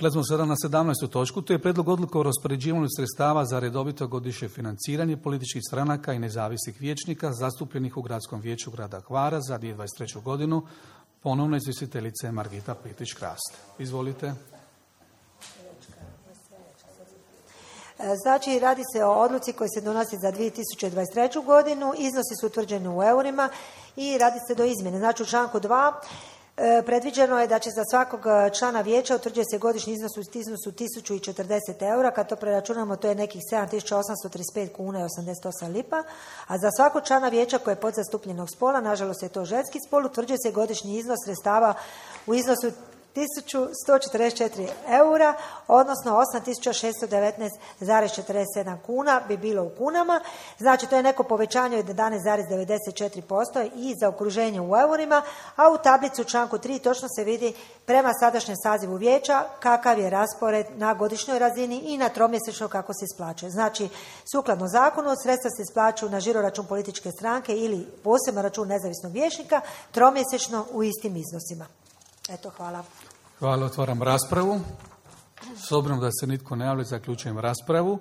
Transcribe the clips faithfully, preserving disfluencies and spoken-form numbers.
Prelazimo sada na sedamnaestu točku. To je prijedlog odluke o raspoređivanju sredstava za redovito godišnje financiranje političkih stranaka i nezavisnih vijećnika zastupljenih u Gradskom vijeću grada Hvara za dvije tisuće dvadeset treću godinu. Ponovno izvjestiteljica je Margita Plitić-Krast. Izvolite. Znači, radi se o odluci koja se donosi za dvije tisuće dvadeset treću godinu, iznosi su utvrđeni u eurima i radi se do izmjene. Znači, u članku dva e, predviđeno je da će za svakog člana vijeća utvrđuje se godišnji iznos u iznosu tisuću četrdeset eura, kad to preračunamo to je nekih sedam tisuća osamsto trideset pet kuna i osamdeset osam lipa, a za svakog člana vijeća koje je podzastupljenog spola, nažalost je to ženski spol, utvrđuje se godišnji iznos sredstava u iznosu tisuću sto četrdeset četiri eura, odnosno osam tisuća šesto devetnaest zarez četrdeset sedam kuna bi bilo u kunama. Znači, to je neko povećanje od jedanaest zarez devedeset četiri posto i za okruženje u eurima, a u tablicu u članku tri točno se vidi prema sadašnjem sazivu vijeća kakav je raspored na godišnjoj razini i na tromjesečno kako se isplaćuje. Znači, sukladno zakonu, sredstva se isplaćuju na žiroračun političke stranke ili poseban račun nezavisnog vijećnika tromjesečno u istim iznosima. Eto, hvala. Hvala, otvaram raspravu. S obzirom da se nitko ne javlja, zaključujem raspravu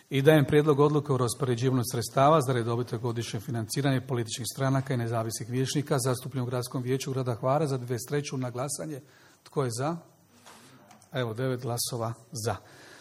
i dajem prijedlog odluke o raspoređivanju sredstava za redovito godišnje financiranje političkih stranaka i nezavisnih vijećnika zastupljenih u Gradskom vijeću grada Hvara za dvadeset treću na glasanje. Tko je za? Evo, devet glasova za.